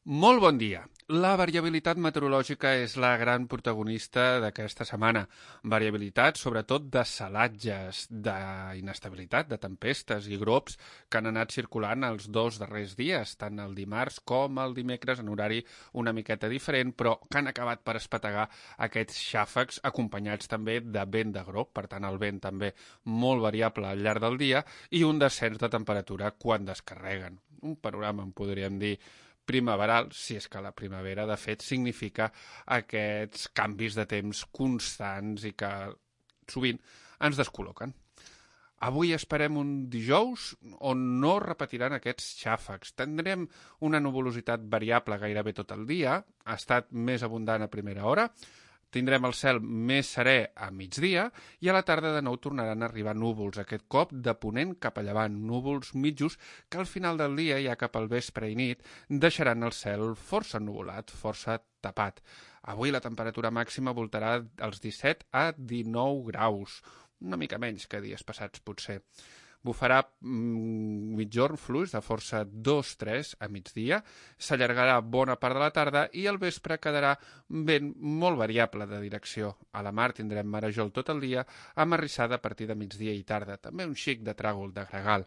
Molt bon dia. La variabilitat meteorològica és la gran protagonista d'aquesta setmana. Variabilitat, sobretot, de salatges, d'inestabilitat, de tempestes i grops que han anat circulant els dos darrers dies, tant el dimarts com el dimecres, en horari una miqueta diferent, però que han acabat per espetegar aquests xàfecs acompanyats també de vent de grop, per tant el vent també molt variable al llarg del dia i un descens de temperatura quan descarreguen. Un panorama, en podríem dir, primaveral, si és que la primavera, de fet, significa aquests canvis de temps constants i que sovint ens descol·loquen. Avui esperem un dijous on no repetiran aquests xàfecs. Tindrem una nuvolositat variable gairebé tot el dia, ha estat més abundant a primera hora, tindrem el cel més serè a migdia i a la tarda de nou tornaran a arribar núvols, aquest cop de ponent cap a llevant, núvols mitjos que al final del dia, ja cap al vespre i nit, deixaran el cel força ennuvolat, força tapat. Avui la temperatura màxima voltarà als 17 a 19 graus, una mica menys que dies passats potser. Bufarà mitjorn fluix de força 2-3 a migdia, s'allargarà bona part de la tarda i al vespre quedarà vent molt variable de direcció. A la mar tindrem marejol tot el dia, amb arrissada a partir de migdia i tarda, també un xic de tràgol de gregal.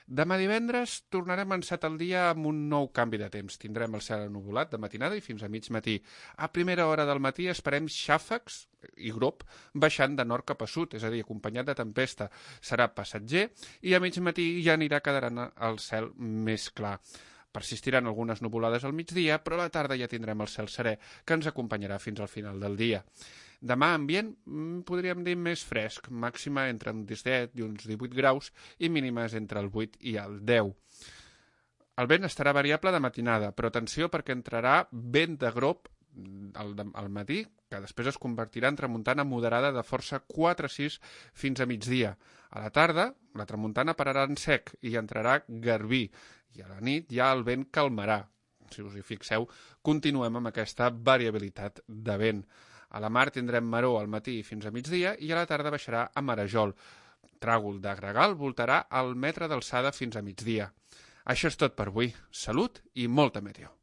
Demà divendres tornarem a encetar el dia amb un nou canvi de temps. Tindrem el cel ennuvolat de matinada i fins a mig matí. A primera hora del matí esperem xàfecs i grop baixant de nord cap a sud, és a dir, acompanyat de tempesta. Serà passatger i a mig matí ja anirà quedant el cel més clar. Persistiran algunes nuvolades al migdia, però a la tarda ja tindrem el cel serè que ens acompanyarà fins al final del dia. Demà ambient, podríem dir més fresc, màxima entre uns 17 i uns 18 graus i mínimes entre el 8 i el 10. El vent estarà variable de matinada, però atenció perquè entrarà vent de grop al matí, que després es convertirà en tramuntana moderada de força 4-6 fins a migdia. A la tarda, la tramuntana pararà en sec i entrarà garbí, i a la nit ja el vent calmarà. Si us hi fixeu, continuem amb aquesta variabilitat de vent. A la mar tindrem maror al matí fins a migdia i a la tarda baixarà a marejol. Tràgol de gregal voltarà al metre d'alçada fins a migdia. Això és tot per avui. Salut i molta meteo.